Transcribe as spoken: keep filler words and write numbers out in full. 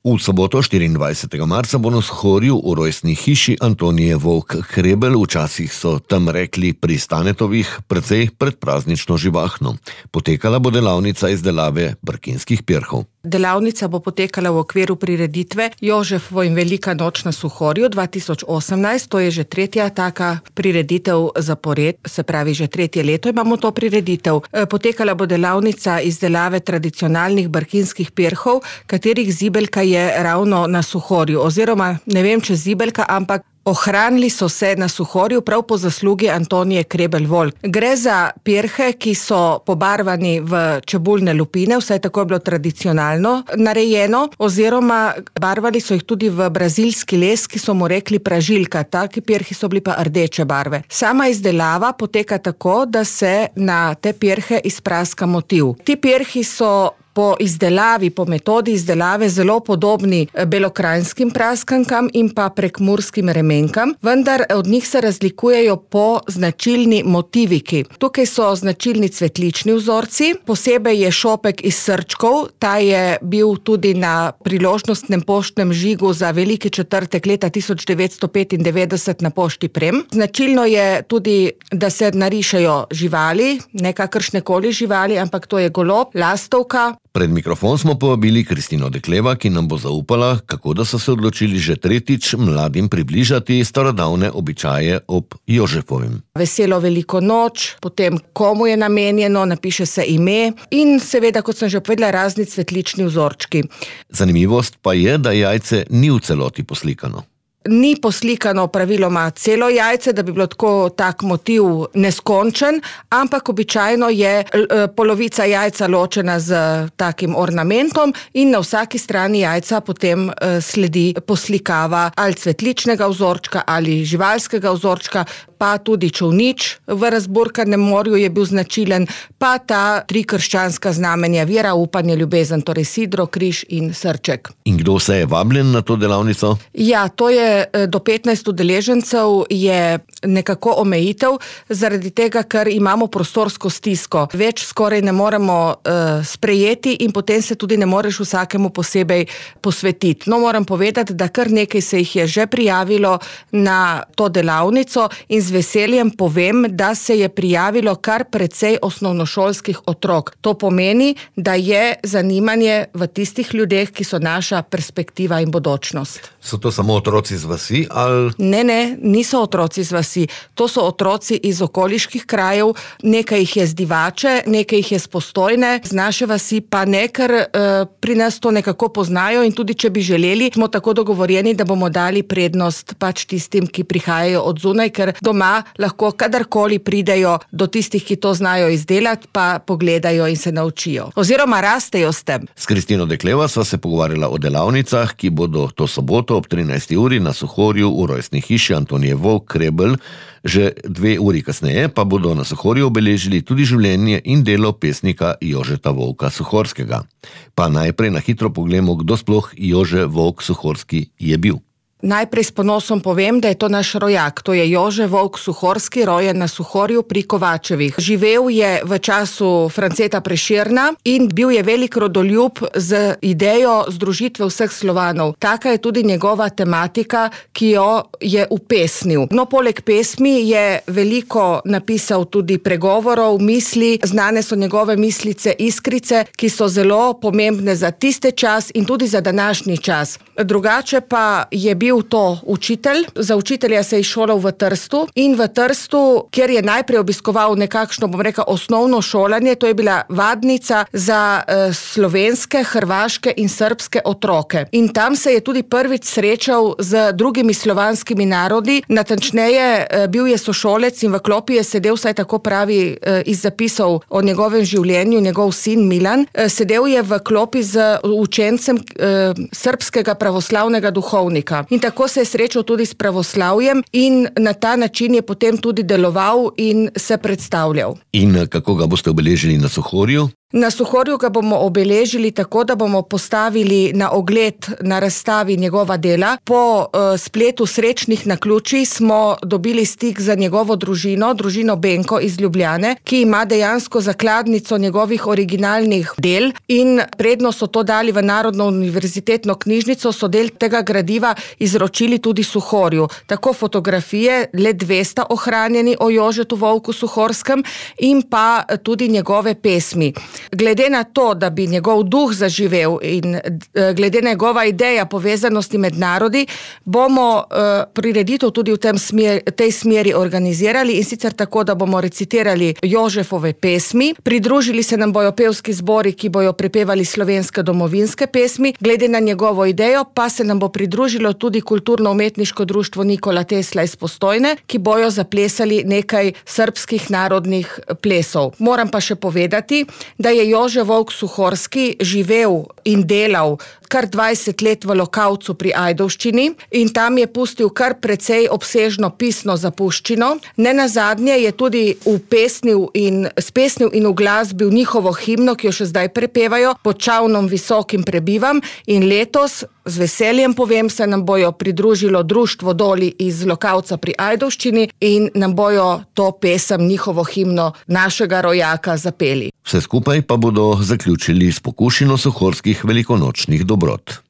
V soboto štiriindvajsetega marca bo na Suhorju v rojstni hiši Antonije Vovk-Krebel, včasih so tam rekli pri Stanetovih, precej predpraznično živahno. Potekala bo delavnica izdelave brkinskih pirhov. Delavnica bo potekala v okviru prireditve Jožefova in velika noč na Suhorju dva tisoč osemnajst, to je že tretja taka prireditev zapored, se pravi že tretje leto imamo to prireditev. Potekala bo delavnica izdelave tradicionalnih brkinskih pirhov, katerih zibelka je ravno na Suhorju, oziroma ne vem, če zibelka, ampak ohranili so se na Suhorju prav po zaslugi Antonije Krebel-Volk. Gre za pirhe, ki so pobarvani v čebulne lupine, vsaj tako je bilo tradicionalno narejeno, oziroma barvali so jih tudi v brazilski les, ki so mu rekli pražilka, taki pirhi so bili pa rdeče barve. Sama izdelava poteka tako, da se na te pirhe izpraska motiv. Ti pirhi so po izdelavi, po metodi izdelave zelo podobni belokranjskim praskankam in pa prekmurskim remenkam, vendar od njih se razlikujejo po značilni motiviki. Tukaj so značilni cvetlični vzorci, posebej je šopek iz srčkov, ta je bil tudi na priložnostnem poštnem žigu za veliki četrtek leta tisoč devetsto petindevetdeset na pošti Prem. Značilno je tudi, da se narišejo živali, ne kakršnekoli živali, ampak to je golob, lastovka. Pred mikrofon smo povabili Kristino Dekleva, ki nam bo zaupala, kako da so se odločili že tretjič mladim približati starodavne običaje ob Jožefovem. Veselo veliko noč, potem komu je namenjeno, napiše se ime in seveda, kot sem že povedala, razni cvetlični vzorčki. Zanimivost pa je, da jajce ni v celoti poslikano. Ni poslikano praviloma celo jajce, da bi bilo tako tak motiv neskončen, ampak običajno je polovica jajca ločena z takim ornamentom in na vsaki strani jajca potem sledi poslikava ali cvetličnega vzorčka ali živalskega vzorčka, pa tudi čolnič v razburkanem morju je bil značilen, pa ta tri krščanska znamenja vera, upanje, ljubezen, torej sidro, križ in srček. In kdo se je vabljen na to delavnico? Ja, to je do petnajst udeležencev je nekako omejitev, zaradi tega, ker imamo prostorsko stisko. Več skoraj ne moremo uh, sprejeti in potem se tudi ne moreš vsakemu posebej posvetiti. No, moram povedati, da kar nekaj se jih je že prijavilo na to delavnico in z veseljem povem, da se je prijavilo kar precej osnovnošolskih otrok. To pomeni, da je zanimanje v tistih ljudeh, ki so naša perspektiva in bodočnost. So to samo otroci z vasi ali? Ne, ne, niso otroci z vasi. To so otroci iz okoliških krajev, nekaj jih je z Divače, nekaj jih je z Postojne, z naše vasi pa ne, ker uh, pri nas to nekako poznajo in tudi če bi želeli, smo tako dogovorjeni, da bomo dali prednost pač tistim, ki prihajajo od zunaj, ker doma lahko kadarkoli pridejo do tistih, ki to znajo izdelati, pa pogledajo in se naučijo. Oziroma rastejo s tem. S Kristino Dekleva sva se pogovarjala o delavnicah, ki bodo to soboto ob trinajsti uri na Suhorju v rojstni hiši Antonije Vovk-Krebel, že dve uri kasneje pa bodo na Suhorju obeležili tudi življenje in delo pesnika Jožeta Vovka Suhorskega. Pa najprej na hitro pogledamo, kdo sploh Jože Vovk Suhorski je bil. Najprej s ponosom povem, da je to naš rojak. To je Jože Vovk Suhorski, rojen na Suhorju pri Kovačevih. Živel je v času Franceta Prešerna in bil je velik rodoljub z idejo združitve vseh Slovanov. Taka je tudi njegova tematika, ki jo je upesnil. No, poleg pesmi je veliko napisal tudi pregovorov, misli, znane so njegove mislice Iskrice, ki so zelo pomembne za tiste čas in tudi za današnji čas. Drugače pa je bil to učitelj. Za učitelja se je šolal v Trstu in v Trstu, kjer je najprej obiskoval nekakšno, bom rekel, osnovno šolanje, to je bila vadnica za eh, slovenske, hrvaške in srbske otroke. In tam se je tudi prvič srečal z drugimi slovanskimi narodi, natančneje eh, bil je sošolec in v klopi je sedel, vsaj tako pravi eh, iz zapisov o njegovem življenju, njegov sin Milan, eh, sedel je v klopi z učencem eh, srbskega pravoslavnega duhovnika. In tako se je srečal tudi s pravoslavjem in na ta način je potem tudi deloval in se predstavljal. In kako ga boste obeležili na Suhorju? Na Suhorju ga bomo obeležili tako, da bomo postavili na ogled na razstavi njegova dela. Po uh, spletu srečnih naključij smo dobili stik za njegovo družino, družino Benko iz Ljubljane, ki ima dejansko zakladnico njegovih originalnih del in predno so to dali v Narodno univerzitetno knjižnico, so del tega gradiva izročili tudi Suhorju. Tako fotografije, le dve sta ohranjeni o Jožetu Volku Suhorskem in pa tudi njegove pesmi. Glede na to, da bi njegov duh zaživel in glede na njegova ideja povezanosti med narodi, bomo uh, prireditev tudi v tem smer, tej smeri organizirali in sicer tako, da bomo recitirali Jožefove pesmi, pridružili se nam bojo pevski zbori, ki bojo prepevali slovenske domovinske pesmi, glede na njegovo idejo pa se nam bo pridružilo tudi kulturno-umetniško društvo Nikola Tesla iz Postojne, ki bojo zaplesali nekaj srbskih narodnih plesov. Moram pa še povedati, da je Jože Volk Suhorski živel in delal kar dvajset let v Lokavcu pri Ajdovščini in tam je pustil kar precej obsežno pisno zapuščino. Nenazadnje je tudi upesnil in spesnil in uglasbil njihovo himno, ki jo še zdaj prepevajo, Pod čavnom visokim prebivam, in letos z veseljem povem, se nam bojo pridružilo društvo Doli iz Lokavca pri Ajdovščini in nam bojo to pesem, njihovo himno našega rojaka zapeli. Vse skupaj pa bodo zaključili s pokušino suhorskih velikonočnih dobrot.